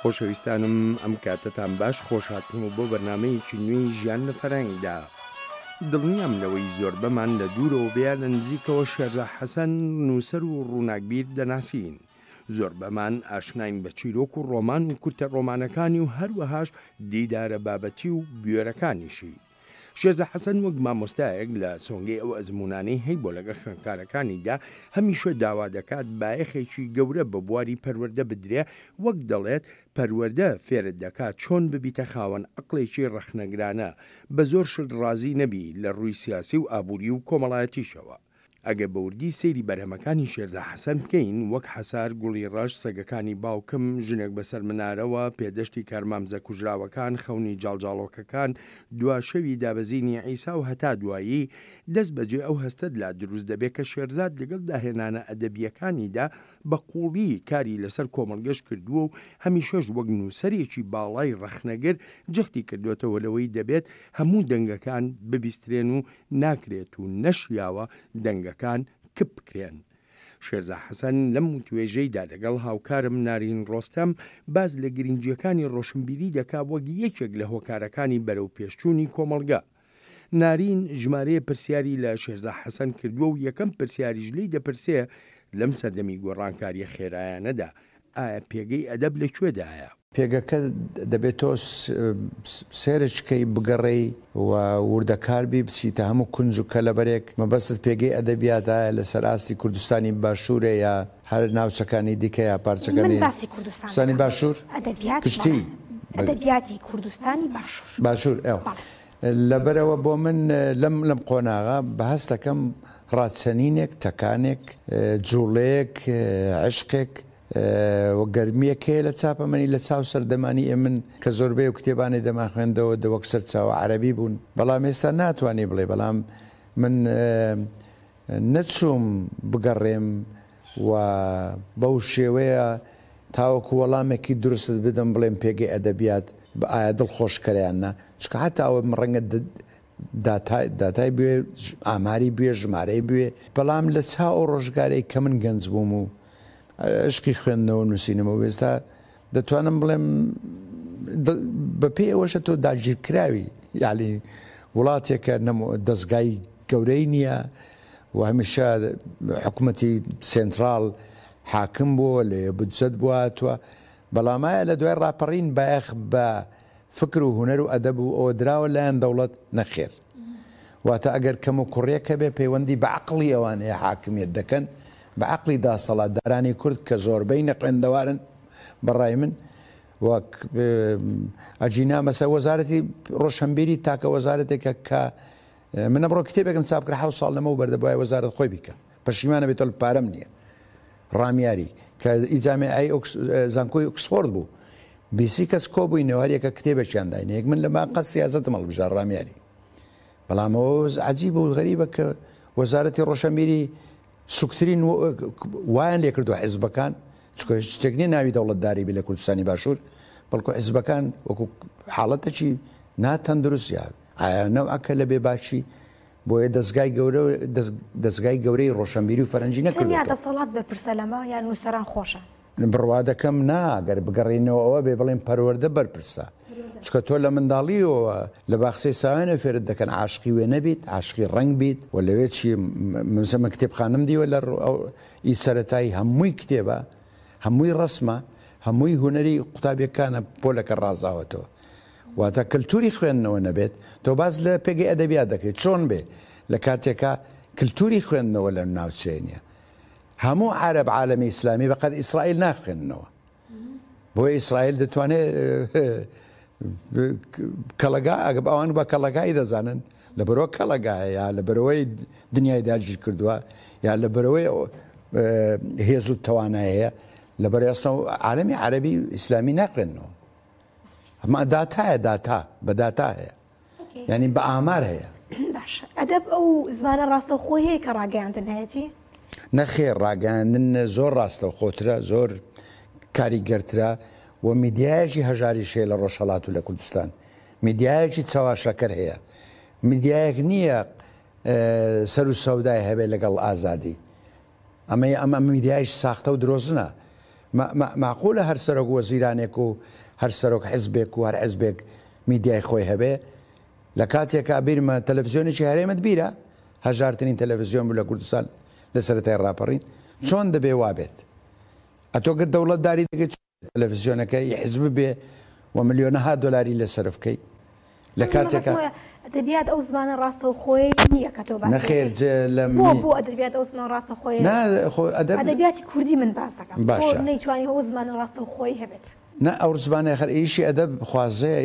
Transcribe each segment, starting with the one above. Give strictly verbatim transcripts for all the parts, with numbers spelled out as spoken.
خۆشەویستانم ئەم کاتەتان باش، خۆشهاتنەوە بۆ بەرنامەیەکی نوێی ژیان لە فەرەنگدا. دڵنیام لەوەی زۆربەمان لە دوورەوە بێ لە نزیکەوە شێرزا حەسەن نووسەر و ڕووناکبیر دەناسین. زۆربەمان ئاشناین بە چیرۆک و ڕۆمان و کورتە ڕۆمانەکانی و هەروەهاش دیدارە بابەتی و بوێرەکانیشی. شێرزا حەسەن وەک مامۆستایەک لە سۆنگەی ئەو ئەزموونانەی هەیبووە لەگەڵ خوێندکارەکانیدا هەمیشە داوا دەکات بایەخێکی گەورە بە بواری پەروەردە بدرێ، وەک دەڵێت پەروەردە فێرت دەکات چۆن ببیتە خاوەن عەقڵێکی ڕەخنەگرانە، بە زۆر شت ڕازی نەبی لە ڕووی سیاسی و ئابووری و کۆمەڵایەتیشەوە. ئەگەر بە وردی سەیری بەرهەمەکانی شێرزا حەسەن بکەین وەک حەسار، گوڵی ڕەش، سەگەکانی باوکم، ژنێک بەسەر منارەوە، پێدەشتی کارمامزە کوژراوەکان، خەونی جاڵجاڵۆکەکان، دوا شەوی دابەزینی عیسا و هەتا دوایی، دەست بەجێ ئەو هەستەت لا دروست دەبێ کە شێرزاد لەگەڵ داهێنانە ئەدەبییەکانیدا بە قووڵی کاری لەسەر کۆمەڵگەش کردووە و هەمیشەش وەک نووسەرێکی باڵای ڕەخنەگر جەختی کردووەتەوە لەوەی دەبێت هەموو دەنگەکان ببیسترێن و ناکرێت و نەشیاوە دەنگەکان کپ بکرێن. شێرزا حەسەن لەم وتوێژەیدا لەگەڵ هاوکارم نارین ڕۆستەم باس لە گرنگییەکانی ڕۆشنبیری دەکا وەک یەکێک لە هۆکارەکانی بەرەوپێشچوونی کۆمەڵگە. نارین ژمارەیە پرسیاری لە شێرزا حەسەن کردووە و یەکەم پرسیاریش لێی دەپرسێ لەم سەردەمی گۆڕانکارییە خێرایانەدا ئایا پێگەی ئەدەب لە کوێدایە؟ پێگەکە دەبێت تۆ سێرچ کەی، بگەڕێی و وردەکار بی، بچیتە هەموو کونج و کەلەبەرێک. مەبەستت پێگەی ئەدەبیات ئایا لەسەر ئاستی کوردستانی باشوورە یا هەر ناوچەکانی دیکە یا پارچەکانی من باسی کوردستان کوردستانی دەکەم. باشوور؟ ئەدەبیات گشتی. بەڵێ. ئەدەبیاتی کوردستانی باشوور. باشوور، ئەو. بەڵێ. لەبەرەوە بۆ من لەم، لەم قۆناغە بە هەستەکەم ڕاچەنینێک، تەکانێک، جوڵەیەک، عشقێک و گەرمیەک هەیە لە چاپەمەنی لە چاو سەردەمانی ئێمن کە زۆربەی و کتێبانی دەمانخوێندەوە دەوەک سەرچاوە عەرەبی بوون، بەڵام ئێستا ناتوانی بڵێ. بەڵام من نەچووم بگەڕێم و بەو شێوەیە تاوەکو وەڵامێکی دروستت بدەم بڵێم پێگەی ئەدەبیات بە ئایا دڵخۆشکەریان نا، چونکە حتا ئەوە من ڕەنگە داتای، داتای بوێ، ئاماری بوێ، ژمارەی بوێ، بەڵام لە چاو ئەو ڕۆژگارەی کە من گەنج بووم و عشقی خوێندنەوە نووسینەوە ئێستا دەتوانم بڵێم بە پێی ئەوەشە تۆ داگیرکراوی، یالی وڵاتێکە نەمو-، دەستگای گەورەی نییە و هەمیشە حکوومەتی سێنترال حاکم بووە، لێ بودجەت بووە هاتووە. بەڵام ئایا لە دوای ڕاپەڕین بایەخ بە فکر و هونەر و ئەدەب و ئەوە دراوە لایەن دەوڵەت؟ نەخێر. واتە ئەگەر کەم و کوڕیەکە بێ پەیوەندی بە عەقڵی ئەوان هەیە حاکمیەت دەکەن، بە عەقڵی داستەڵاتدارانی کورد کە زۆربەی نەخوێندەوارن بەڕای من، وەک ئەجینا مەسە وەزارەتی ڕۆشنبیری تاکە وەزارەتێکە کە من ئەمڕۆ کتێبێکم چاپ کرد حەوت ساڵ لەمەو بەردەبوایە وەزارەت خۆی بیکە، پەشیمانە بێتەوە پارەم نییە. ڕامیاری کە ئیجامیعەی ئۆکس-، زانکۆی ئۆکسفۆرد بوو، بیسی کەس کۆبووینەوە هەر یەکە کتێبێکیان داینە. یەک من لە باقە سیاسەتم هەڵبژارد ڕامیاری. بەڵام ئەوە عەجیب و غەریبە کە وەزارەتی ڕۆشنبیری سوکترین وایان لێکردووە حیزبەکان، چونکە هیچ شتێک نییە ناوی دەوڵەتداری بێ لە کوردستانی باشوور، بەڵکو حیزبەکان وەکو حاڵەتێکی ناتەندروستیە. ئایا نەوعەکە لە بێباکی بۆیە دەستگای گەورە، دەستگای گەورەی ڕۆشنبیری و فەرەنجی تەنیا نەکردووەتەوە. دەسەڵات بەرپرسە لەمە یان نووسەران خۆشە؟ بڕوا دەکەم نا، ئەگەر بگەڕینەوە ئەوە بێ بڵێن پەروەردە بەرپرسە، چونکە تۆ لە منداڵیەوە لە باخچەی ساوێنە فێرت دەکەن عاشقی وێ نەبیت، عاشقی ڕەنگ بیت. و لەوێ چی مەسەلەن کتێبخانەم دیوە لە ڕ-، ئەو ئی سەرەتایی هەمووی کتێبە، هەمووی ڕەسمە، هەمووی هونەری قوتابیەکانە پۆلەکە ڕازاوەتەوە. واتە کللتوری خوێندنەوە نەبێت، تۆ باز لە پێگەی ئەدەبیات دەکەیت چۆن بێ لە کاتێکا کللتوری خوێندنەوە لە ناوچەیە نییە. هەموو عەرەب عالەمی ئیسلامی بەقەد ئیسرائیل ناخوێندنەوە. بۆ ئیسرائیل دەتوانێت کەڵەگا، ئەگەر ئەوان بە کەڵەگای دەزانن، لەبەرەوە کەڵەگایە یا لەبەرەوەی دنیای داگیر کردووە یا لەبەرەوەی هێز و توانای هەیە، لەبەر ئێستا عالەمی عەرەبی ئیسلامی ناخوێندنەوە. ئەمە داتایە، داتا بە داتا هەیە، یعنی بە ئامار هەیە. باشە، ئەدەب ئەو زمانە ڕاستەوخۆی هەیە کە ڕاگەیاندن هەیەتی؟ نەخێر، ڕاگەیاندن زۆر ڕاستەوخۆترە، زۆر کاریگەرترە و میدیایەکی هەژاریش هەیە لە ڕۆژهەڵات و لە کوردستان. میدیایەکی چەواشەکەر هەیە، میدیایەک نییە، سەر و سەودای هەبێت لەگەڵ ئازادی. ئەمە، ئەمە میدیایش ساختە و درۆزنە. مەعقولە هەر سەرۆک وەزیرانێک و هەر سەرۆک حزبێک و هەر حزبێک میدیای خۆی هەبێ. لە کاتێکا بیرمە تەلەڤیزیۆنێکی هەرێمت بیرە، هەژارترین تەلەڤیزیۆن بوو لە کوردستان لە سەرەتای ڕاپەڕین، چۆن دەبێ وابێت؟ ئەتۆ گەر دەوڵەتداری دەکەیت تەلەڤیزیۆنەکە حزب بێ و ملیۆنەها دۆلاری لەسەر بکەی لە کاتێکا ئەدەبیات ئەو زمانە ڕاستەوخۆیە نییە کە تۆ باس نەخێر بۆ بۆ ئەدەبیات ئەو زمانە ڕاستەوخۆیە ئەدەبیاتی کوردی من باس دەکەم بۆ نەیتوانی ئەو زمانە ڕاستەوخۆی هەبێت. نا ئەو زمانە خەر ئیشی ئەدەب خوازەیە،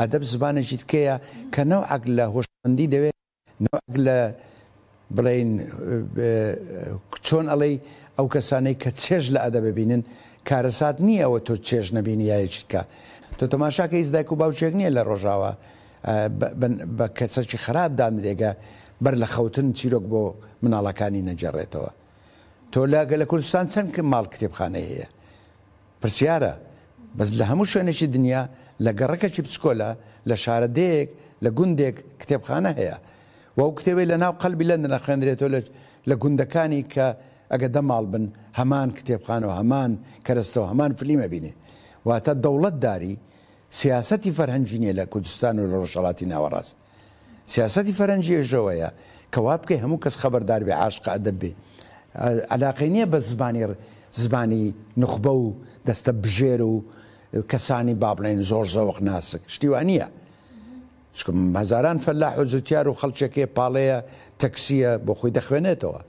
ئەدەب زمانێکی تکەیە کە نەوعەک لە هۆشمەندی دەوێت، نەوعەک لە بڵێین چۆن ئەڵێی ئەو کەسانەی کە چێژ لە ئەدەب ببینن کارەسات نییە ئەوە تۆ چێژ نەبینی یایەکی تکە. تۆ تەماشاکە هیچ دایک و باوکێک نییە لە ڕۆژاوە بە کەسێکی خراپ دانرێگە بەر لە خەوتن چیرۆک بۆ مناڵەکانی نەگێڕێتەوە. تۆ لە کوردستان چەند ماڵ کتێبخانەی هەیە؟ پرسیارە. بەس لە هەموو شوێنێکی دنیا لە گەڕەکەکی بچکۆلە لە شارەدێیەک لە گوندێک کتێبخانە هەیە و ئەو کتێبەی لە ناو قەلبی لەندەن ئەخوێندرێتەوە لە گوندەکانی کە ئەگە دە ماڵ بن هەمان کتێبخانە و هەمان کەرەستە و هەمان فلیمە بینێ. واتە دەوڵەتداری سیاسەتی فەرهەنگی نییە لە کوردستان و لە ڕۆژهەڵاتی ناوەڕاست. سیاسەتی فەرهەنگی ئێژەوەیە کە وا بکەی هەموو کەس خەبەردار بێ، عاشقە ئەدەب بێ، علاقەی نییە بە زمانی زمانی نوخبە و دەستە بژێر و کەسانی با بڵێن زۆر زەوق ناسک، شتی وا نییە. چونکە هەزاران فەلاح و جوتیار و خەڵکێکێ پاڵەیە تەکسیە بۆ خۆی دەخوێنێتەوە،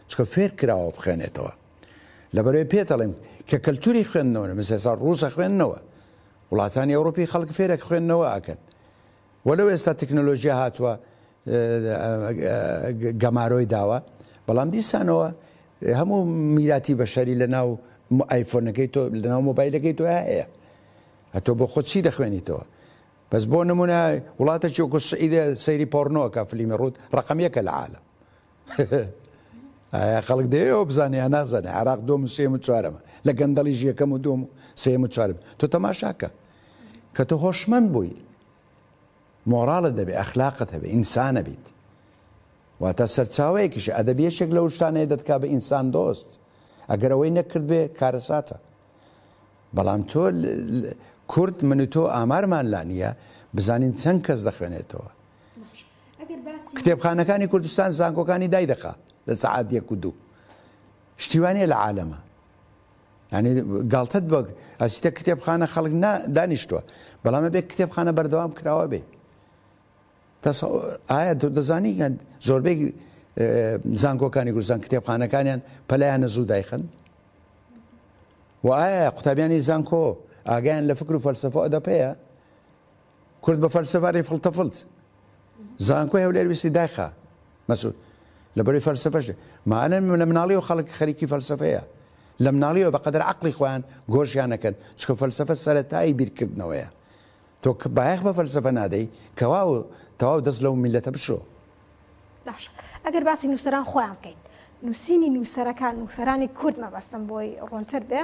چونکە فێر کراوە بخوێنێتەوە. لەبەرەوەی پێت ئەڵێم کە کەلتوری خوێندنەوە مثل ئێستا ڕووسە خوێندنەوە، وڵاتانی ئەوروپی خەڵک فێرێک خوێندنەوە ئەکەن. وەلو ئێستا تەکنۆلۆژیا هاتووە گەمارۆی داوە، بەڵام دیسانەوە هەموو میراتی بەشەری لە ناو ئایفۆنەکەی تۆ لە ناو مۆبایلەکەی تۆ هەیە. ئەتۆ بۆ خۆت چی دەخوێنیتەوە؟ بەس بۆ نمونە وڵاتێکی وەکو سعیدە سەیری پۆرنۆکە فلیمی ڕووت ڕقم یەکە لە عالەم. ئایا خەڵک دەیەوە بزانێ یا نازانێ؟ عێراق دووەم و سێیەم و چوارەمە، لە گەندەڵیش یەکەم و دووەم و سێیەم و چوارەم. تۆ تەماشاکە کە تۆ هۆشمەند بووی، مۆراڵت دەبێ، ئەخلاقت هەبێ، ئینسانە بیت. واتە سەرچاوەیەکیش ئەدەب یەکێک لەو شتانەیە دەتکا بە ئینسان دۆست. ئەگەر ئەوەی نەکرد بێ کارەساتە. بەڵام تۆ کورد من و تۆ ئامارمان لا نییە بزانین چەند کەس دەخوێنێتەوە. کتێبخانەکانی کوردستان زانکۆکانی دای دەخا لە سەعات یەک و دوو. شتیوانیە لە عالەمە. یعنی گاڵتەت بە ئەچیتە کتێبخانە خەڵک دانیشتووە، بەڵام ئەبێ کتێبخانە بەردەوام کراوە بێ. ئایا دەزانی زۆربەی زانکۆکانی کوردستان کتێبخانەکانیان پەلایانە زوو دایخن؟ و ئایا قوتابیانی زانکۆ ئاگایان لە فکر و فەلسەفە ئەدەب هەیە؟ کورد بە فەلسەفە ڕێ فڵتەفڵت. زانکۆی هەولێر ویستی دایخا مەسعود لەبەرەی فەلسەفەش مانە لە مناڵیەوە خەڵک خەریکی فەلسەفەیە، لە مناڵیەوە بەقەدەر عەقڵی خۆیان گۆشیان نەکەن، چونکە فەلسەفە سەرەتایی بیرکردنەوەیە. تۆ بایەخ بە فەلسەفە نادەی کەواو تەواو دەست لەو میلەتە بشۆ. باشە ئەگەر باسی نووسەران خۆیان بکەین، نووسینی نووسەرەکان، نووسەرانی کورد مەبەستم بۆی ڕوونتر بێ،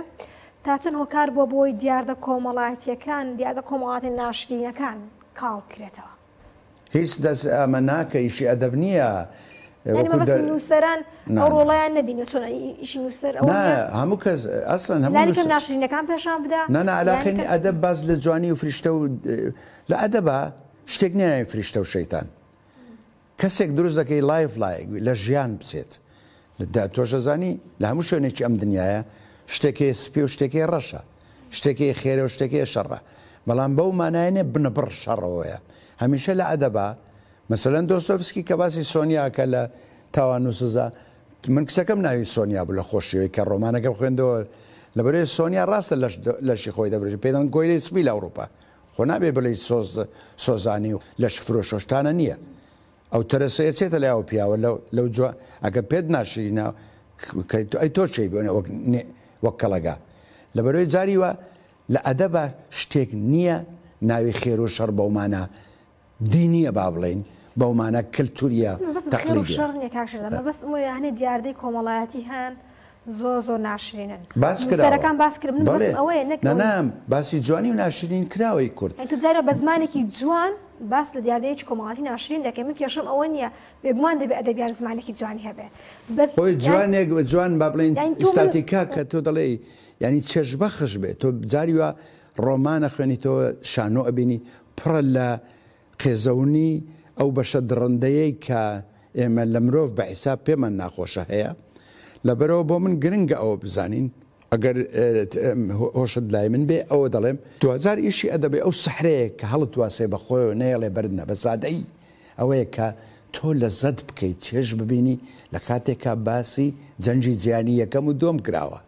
تا چەند هۆکار بووە بۆی دیاردە کۆمەڵایەتیەکان، دیاردە کۆمەڵاتی ناشرینەکان کاڵ بکرێتەوە؟ هیچ دەست ئەمە ناکە، ئیشی ئەدەب نییە. یعنی مەبەستم نووسەران ئەو ڕۆڵیان نەبینێت چۆن ئیشی نووسەر ئەوە نا، هەموو کەس ئەسڵەن هەموو لانی کەم ناشرینەکان پێشان بدا. نا نا، علاقەی ئەدەب باز لە جوانی و فریشتە و لە ئەدەبا شتێک نییە ناوی فریشتە و شەیتان. کەسێک دروست دەکەی لایف لایک لە ژیان بچێت. تۆش دەزانی لە هەموو شوێنێکی ئەم دنیاە شتێکی سپی و شتێکی ڕەشە، شتێکی خێرە و شتێکی شەڕە، بەڵام بەو مانایە نییە بنەبڕ شەڕەوەیە. هەمیشە لە ئەدەبا مەسەلەن دۆستۆفسکی کە باسی سۆنیا کە لە تاوان و سزا، من کچەکەم ناوی سۆنیا بوو لە خۆشیەوەی کە ڕۆمانەکە بخوێندەوە، لەبەرەوەی سۆنیا ڕاستە لەشی خۆی دەبرێت، پێی دەڵێن کۆیلەی سپی لە ئەوروپا. خۆ نابێ بڵێی سۆزانی و لەش فرۆشۆشتانە نییە. ئەو تەرەسەیە چێتە لای ئەو پیاوە لەو جوان ئەگەر پێت ناشرینە ئەی تۆ چێی بۆ وەک کەڵەگا. لەبەرەوەی جاری وە لە ئەدەبە شتێک نییە ناوی خێر و شەڕ بەو مانا دینیە با بڵێین، بەو مانا کەلتوریە تەقلیدیە. شەڕ نییە کاک شێرزاد، مەبەستم وەیە هەنێ دیاردەی کۆمەڵایەتی هەن زۆر زۆر ناشرینن. باس کراوە. نووسەرەکان باس کرد. من مەبەستم ئەوەیە نەک نا، نا، باسی جوانی و ناشرین کراوەی کورد. یعنی تۆ جارە بە زمانێکی جوان باس لە دیاردەیەکی کۆمەڵاتی ناشرین دەکەین من کێشەم ئەوە نییە بێگومان دەبێ ئەدەبیات زمانێکی جوانی هەبێ بەس خۆی جوانێک جوان با بڵێین ئیستاتیکا کە تۆ دەڵێی یعنی چێژبەخش بێ تۆ جاری وا ڕۆمانە خوێنیتەوە شانۆ ئەبینی پڕە لە قێزەونی ئەو بەشە دڕندەیەی کە ئێمە لە مرۆڤ بە حیساب پێمان ناخۆشە هەیە لەبەرەوە بۆ من گرنگە ئەوە بزانین ئەگەر هۆشت لای من بێ ئەوە دەڵێم دوجار ئیشی ئەدەبێ ئەو سەحرەیە کە هەڵت واسێ بە خۆیەوە نەیەڵێ بەردنە بە سادەیی ئەوەیە کە تۆ لەزەت بکەیت چێژ ببینی لە کاتێکا باسی جەنگی جیهانی یەکەم و دووەم کراوە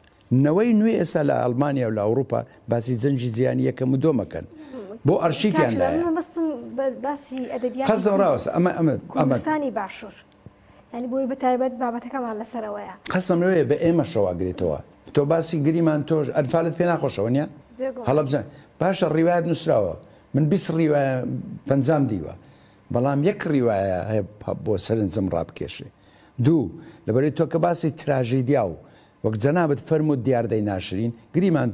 نەوەی نوێ ئێستا لە ئەڵمانیا و لە ئەوروپا باسی جەنگی جیهانی یەکەم و دووەمەکەن بۆ ئەرشیفیان لایە باسی ئەدەبیاتی قەزم ڕاوەستە ئەمە ئەمە کوردستانی باشوور یعنی بۆی بەتایبەت بابەتەکەمان لەسەرەوەیە قەزم لەوەیە بە ئێمەشەوە ئەگرێتەوە تۆ باسی گریمان تۆش ئەنفالت پێ ناخۆشەوە نییە هەڵەبجە باشە ڕیوایەت نووسراوە من بیست ڕیوایە پەنجام دیوە بەڵام یەک ڕیوایە هەیە بۆ سەرنجم ڕابکێشێ دوو لەبەرەی تۆ کە باسی تراژیدیا و وەک جەنابت فەرمووت دیاردەی ناشرین گریمان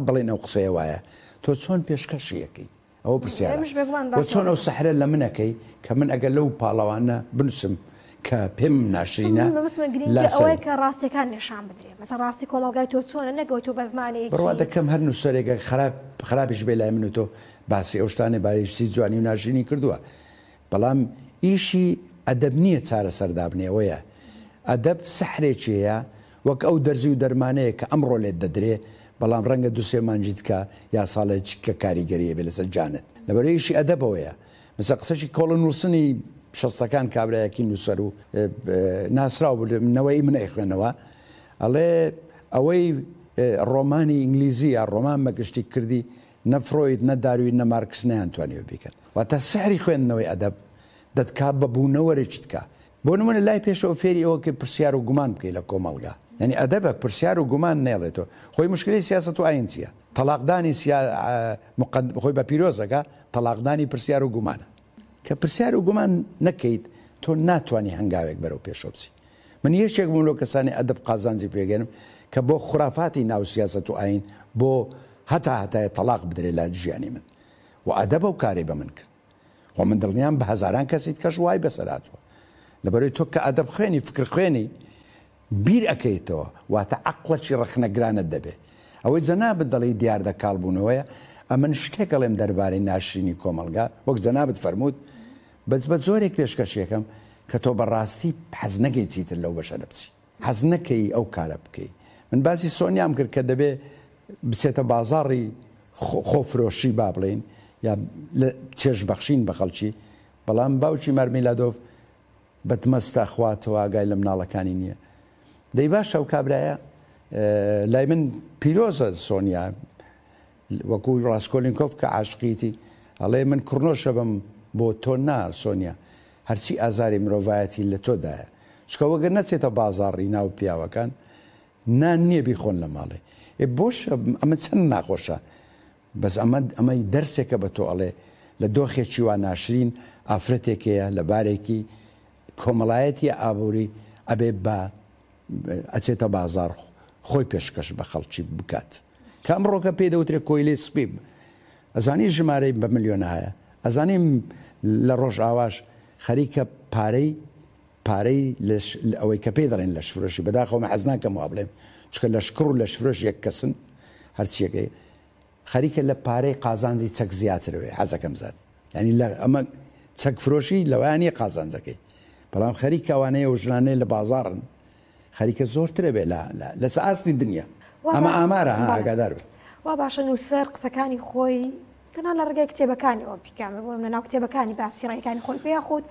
بڵێن ئەو قسەیە وایە تۆ چۆن پێشکەشیەکەی ئەوە پرسیارە وە چۆن ئەو سەحرە لە منەکەی کە من ئەگەر لەو پاڵەوانە بنووسم کە پێم ناشرینە ئەوەیە کە ڕاستیەکان نیشان بدرێ مەسەن ڕاستی کۆمەڵگای تۆ چۆنە نەگەوە تۆ بە زمانێکی بڕوا دەکەم هەر نووسەرێکە خراپ خراپیش بێ لای من و تۆ باسی ئەو شتانەی بایشتی جوانی و ناشرینی کردووە بەڵام ئیشی ئەدەب نییە چارەسەر دابنێ ئەوەیە ئەدەب سەحرێکی هەیە وەک ئەو دەرزی و دەرمانەیە کە ئەمڕۆ لێت دەدرێ بەڵام ڕەنگە دوو سێ مانگی دیکە یا ساڵێک کە کاریگەریە بێ لەسەر جانت لەبەر ئیشی ئەدەبەوەیە مثلا قسەشی کۆڵن وڵسنی شەستەکان کابرایەکی نووسەر و ناسراو بوو نەوەی من ئەیخوێنەوە ئەڵێ ئەوەی ڕۆمانی ئینگلیزی یا ڕۆمان بەگشتی کردی نە فرۆید نە داروین نە مارکس نەیانتوانیوە بیکەن واتە سحری خوێندنەوەی ئەدەب دەتکا بە بوونەوەرێکی تکا بۆ نمونە لای پێشەوە فێری ئەوە کە پرسیار و گومان بکەی لە کۆمەڵگا یعنی ئەدەبێک پرسیار و گومان نێڵێتەوە خۆی مشکلی سیاسەت و ئاین چییە تەلاقدانی خۆی بە پیرۆزەکە تەلاقدانی پرسیار و گومانە کە پرسیار و گومان نەکەیت تۆ ناتوانانی هەنگاوێک بەرەو پێشەوە بچی من یەکێک بووم لەو کەسانی ئەدەب قازانجی پێگەنم کە بۆ خرافاتی ناو سیاسەت و ئاین بۆ هەتا هەتایە تەلاق بدرێ لە ژیانی من و ئەدەب ئەو کارەی بە من کرد و من دڵنیام بە هەزاران کەسی کەش وای بەسەر هاتووە لەبەرەی تۆ کە ئەدەب خوێنی فکر خوێنی بیر ئەکەیتەوە واتە عەقڵێکی ڕەخنەگرانت دەبێ ئەوەی جەنابت دەڵێی دیاردە کاڵبوونەوەیە ئەمن شتێک ئەڵێم دەربارەی ناشرینی کۆمەڵگا وەک جەنابت فەرمووت بەس بە جۆرێک پێشکەشیەکەم کە تۆ بەڕاستی حەز نەکەی چیتر لەو بەشە بچی حەز نەکەی ئەو کارە بکەی من باسی سۆنیام کرد کە دەبێ بچێتە بازاڕی خۆفرۆشی با بڵێین یا چێژبەخشین بە خەڵکی بەڵام باوکی مارمیلادۆف بەدمەستە خواتەوە ئاگای لە مناڵەکانی نییە دەی باشە ئەو کابرایە لای من پیرۆزە سۆنیا وەکو ڕاسکۆلینکۆف کە عاشقیتی ئەڵێ من کوڕنۆشە بم بۆ تۆ نا سۆنیا هەرچی ئازاری مرۆڤایەتی لە تۆدایە چکە وەگەر نەچێتە بازاڕی ناو پیاوەکان نان نییە بیخۆن لە ماڵێ ئێ بۆش ئەمە چەند ناخۆشە بەس ئەمە ئەمەی دەرسێکە بە تۆ ئەڵێ لە دۆخێکی وا ناشرین ئافرەتێکەیە لە بارێکی کۆمەڵایەتی ئابووری ئەبێ بە ئەچێتە بازاڕ خۆی پێشکەش بە خەڵکی بکات کە ئەمڕۆکە پێی دەوترێت کۆیلەی سپی ئەزانی ژمارەی بە ملیۆنە هەیە ئەزانی لە ڕۆژئاواش خەریکە پارەی پارەی ئەوەی کە پێی دەڵێن لەشفرۆشی بەداخەوە من حەز ناکەم وا بڵێم چونکە لەشکڕ و لەشفرۆش یەک کەسن هەرچیەکەی خەریکە لە پارەی قازانجی چەک زیاترەوەی حەزەکەم زان یعنی لە ئەمە چەک فرۆشی لەوەیان نییە قازانجەکەی بەڵام خەریکە ئەوانەیە و ژنانەی لە بازاڕن خەریکە زۆرترە بێ لە لە ئاستی دنیا ئەمە ئامارە ها ئاگادار بێ. وا باشە نووسەر قسەکانی خۆی تەنها لە ڕێگای کتێبەکانیەوە بیکات بۆ نمونە ناو کتێبەکانی باسی ڕێیەکانی خۆی پێ یاخود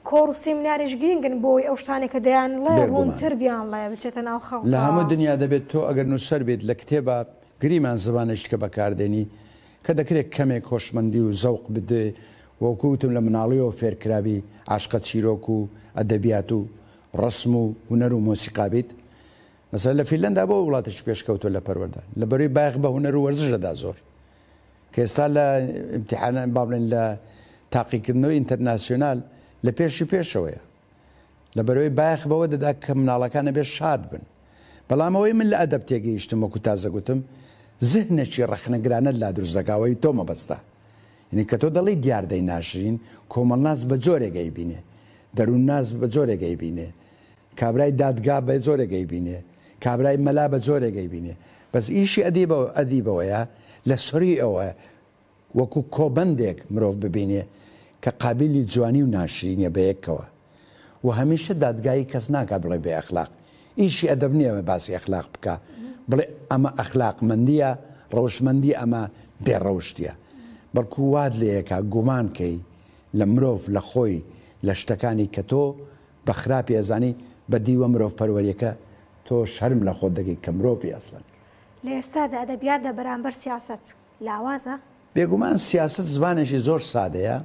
کۆڕ و سیمیناریش گرنگن بۆی ئەو شتانێک کە دەیانڵێ ڕوونتر بیانڵێ بچێتە ناو خەڵکەوە. لە هەموو دنیا دەبێت تۆ ئەگەر نووسەر بیت لە کتێبا گریمان زبانێکی کە بەکاردێنی کە دەکرێت کەمێک هۆشمەندی و زەوق بدێ وەکو وتم لە مناڵیەوە فێرکرابی عاشقە چیرۆک و ئەدەبیات و ڕەسم و هونەر و مۆسیقا بیت مەسەلەن لە فینلەندا بۆ وڵاتێکی پێشکەوتوە لە پەروەردە لە بەروی بایەخ بە هونەر و وەرزش دەدا زۆر کە ئێستا لە ئیمتیحانە با بڵێن لە تاقیکردنەوەی ئینتەرناسیۆنال لە پێشی پێشەوەیە لە بەرەوەی بایەخ بەوە دەدا کە مناڵەکان ئەبێ شاد بن بەڵام ئەوەی من لە ئەدەب تێگەیشتم وەکو تازە گوتم زهنێکی ڕەخنەگرانەت لا دروست دەکا ئەوەی تۆ مەبەستە یعنی کە تۆ دەڵێی دیاردەی ناشرین، کۆمەڵناس بە جۆرێک ئەیبینێ، دەروونناس بە جۆرێک ئەیبینێ، کابرای دادگا بە جۆرێک ئەیبینێ، کابرای مەلا بە جۆرێک ئەیبینێ. بەس ئیشی ئەدیبە ئەدیبەوەیە لە سەری ئەوە وەکو کۆبەندێک مرۆڤ ببینێ کە قابلی جوانی و ناشرینیە بەیەکەوە و هەمیشە دادگایی کەس ناکا بڵێ بێ ئەخلاق. ئیشی ئەدەب نییە باسی ئەخلاق بکا، بڵێ ئەمە ئەخلاقمەندیە، ڕەوشتمەندی ئەمە بێ ڕەوشتیە، بەڵکو وات لێیەکا گومان کەی لە مرۆڤ، لە خۆی، لە شتەکانی کە تۆ بە خراپی ئەزانی، بە دیوە مرۆڤ پەروەریەکە تۆ شەرم لە خۆت دەکەی کە مرۆڤی ئەسڵەن. لە ئێستادا ئەدەبیات لە بەرامبەر سیاسەت لاوازە؟ بێگومان سیاسەت زمانێکی زۆر سادەیە،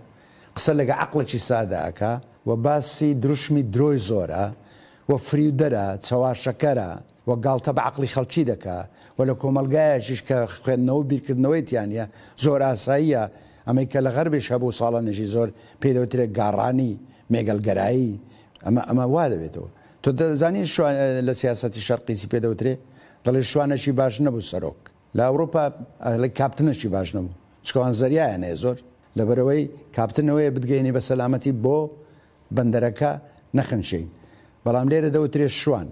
قسە لەگە عەقڵێکی سادە ئەکا و باسی دروشمی درۆی زۆرە و فریودەرە، چەواشەکەرە و گاڵتە بە عەقڵی خەڵکی دەکا و لە کۆمەڵگایەکیش کە خوێندنەوە و بیرکردنەوەی تیا نییە زۆر ئاساییە، ئەمەی کە لە غەربیش هەبوو ساڵانێکی زۆر پێی دەوترێ گاڕانی، مێگەلگەرایی، ئەمە ئەمە وا دەبێتەوە. تۆ دەزانی شوان لە سیاسەتی شەرقی چی پێ دەوترێ؟ دەڵێ شوانێکی باش نەبوو سەرۆک. لە ئەوروپا ئەڵێ کاپتنێکی باش نەبوو، چونکە ئەوان زەریایان هەیە زۆر، لەبەرئەوەی کاپتن ئەوەیە بتگەیەنی بە سەلامەتی بۆ بەندەرەکە نەخنچێین. بەڵام لێرە دەوترێ شوان.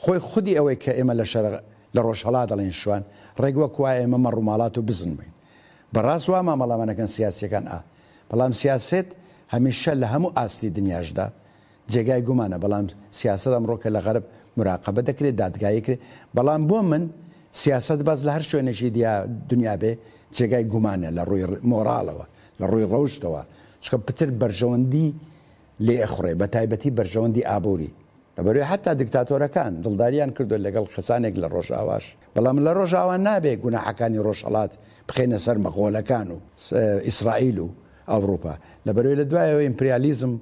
خۆی خودی ئەوەی کە ئێمە لە شەرق لە ڕۆژهەڵات دەڵێین شوان، ڕێک وەک وایە ئێمە مەڕوماڵات و بزن بووین. بەڕاست وا مامەڵەمان ئەکەن سیاسییەکان ئا. بەڵام سیاسەت هەمیشە لە هەموو ئاستی دنیاشدا جێگای گومانە، بەڵام سیاسەت ئەمڕۆ کە لە غەرب مراقەبە دەکرێت، دادگایی کرێت، بەڵام بۆ من سیاسەت بەس لە هەر شوێنێکی دنیا بێ جێگای گومانە لە ڕووی مۆراڵەوە، لە ڕووی ڕەوشتەوە، چونکە پتر بەرژەوەندی لێ ئەخورێ، بە تایبەتی بەرژەوەندی ئابووری. لەبەرئەوەی حەتا دیکتاتۆرەکان دڵداریان کردووە لەگەڵ کەسانێک لە ڕۆژئاواش، بەڵام لە ڕۆژئاوا نابێ گوناحەکانی ڕۆژهەڵات بخەینە سەر مەغۆلەکان و ئیسرائیل و ئەوروپا، لەبەرئەوەی لە دوایەوە ئیمپریالیزم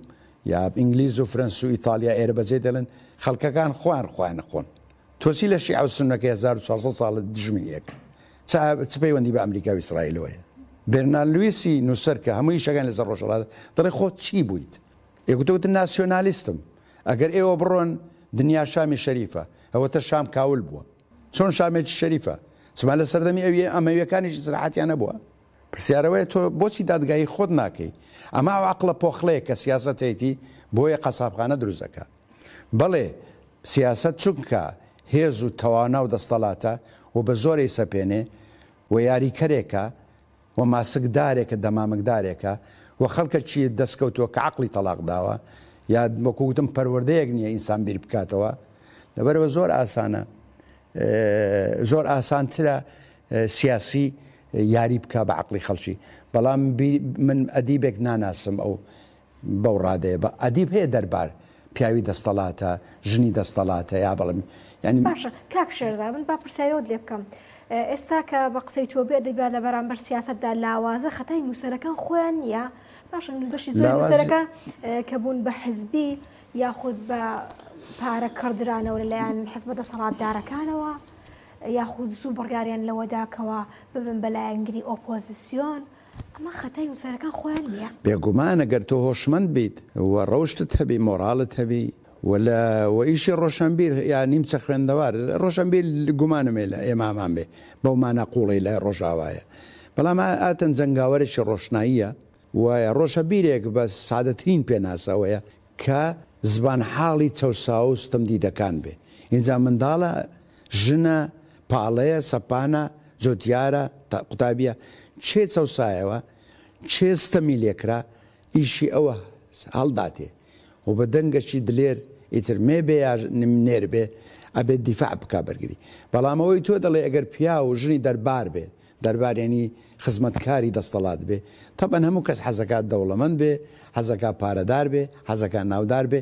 یا ئینگلیز و فرەنس و ئیتالیا ئێرە بەجێ دێڵن، خەڵکەکان خۆیان خۆیان ئەخۆن. تۆ چی لە شیعە و سوننەکەی هەزار و چوار سەد ساڵە دژمنی یەکن؟ چ چ پەیوەندی بە ئەمریکا و ئیسرائیلەوە هەیە؟ بێرنارد لویسی نووسەر کە هەموو ئیشەکانی لەسەر ڕۆژهەڵاتە دەڵێ خۆت چی بوویت؟ ئێ گوتە وتن ناسیۆنالیستم. ئەگەر ئێوە بڕۆن دنیا شامی شەریفە، ئەوەتە شام کاول بووە. چۆن شامێکی شەریفە؟ چما لە سەردەمی ئەویە ئەمەویەکانیش ئیسراحەتیان نەبووە؟ پرسیارەوەیە تۆ بۆچی دادگایی خۆت ناکەی؟ ئەمە ئەو عەقڵە پۆخڵەیە کە سیاسەتێتی بۆیە قەسابخانە دروست دەکا. بەڵێ سیاسەت چونکە هێز و توانا و دەستەڵاتە و بە زۆر ئەیسەپێنێ و یاریکەرێکە و ماسکدارێکە دەمامکدارێکە و خەڵکەکی دەستکەوتووە کە عەقڵی تەڵاق داوە یا وەکو وتم پەروەردەیەک نییە ئینسان بیر بکاتەوە، لەبەرئەوە زۆر ئاسانە زۆر ئاسانترە سیاسی یاری بکا بە عەقڵی خەڵکی. بەڵام من ئەدیبێک ناناسم ئەو بەو ڕادەیە بە ئەدیب هەیە دەربار پیاوی دەستەڵاتە ژنی دەستەڵاتە یا بەڵم یعنی باشە کاک شێرزا من با پرسیارەوەت لێ بکەم ئێستا کە بە قسەی تۆ بێ ئەدەبیات لە بەرامبەر سیاسەتدا لاوازە خەتای نووسەرەکان خۆیان نییە؟ باشە بەشی زۆر نووسەرەکان کە بوون بە حزبی یاخود بە پارە کڕدرانەوە لەلایەن حزبە دەسەڵاتدارەکانەوە یاخود زوو بڕیاریان لەوەدا کەوا ببن بە لایەنگری ئۆپۆزیسیۆن، ئەمە خەتای نووسەرەکان خۆیان نییە؟ بێگومان ئەگەر تۆ هۆشمەند بیت و ڕەوشتت هەبی مۆڕاڵت هەبی و لە و ئیشی ڕۆشەنبیر یا نیمچە خوێندەوار ڕۆشەنبیر گومانم هەیە لە ئێمامان بێ بەو مانا قووڵەی لە ڕۆژاوایە بەڵام ئاتەن جەنگاوەرێکی ڕۆشناییە و ڕۆشەبیرێک بە سادەترین پێناسە ئەوەیە کە زبانحاڵی چەوساوە و ستەمدیدەکان بێ ئینجا منداڵە ژنە پاڵەیە سەپانە جوتیارە قوتابیە کێ چەوسایەوە کێ ستەمی لێکرا ئیشی ئەوە هەڵداتێ و بە دەنگەکی دلێر ئیتر مێ بێ یا نێر بێ ئەبێت دیفاع بکا بەرگری بەڵام ئەوەی تۆ دەڵێ ئەگەر پیاو و ژنی دەربار بێت دەربار یانی خزمەتکاری دەستەڵات بێ تەبەن هەموو کەس حەزەکات دەوڵەمەند بێ حەزەکا پارەدار بێ حەزەکا ناودار بێ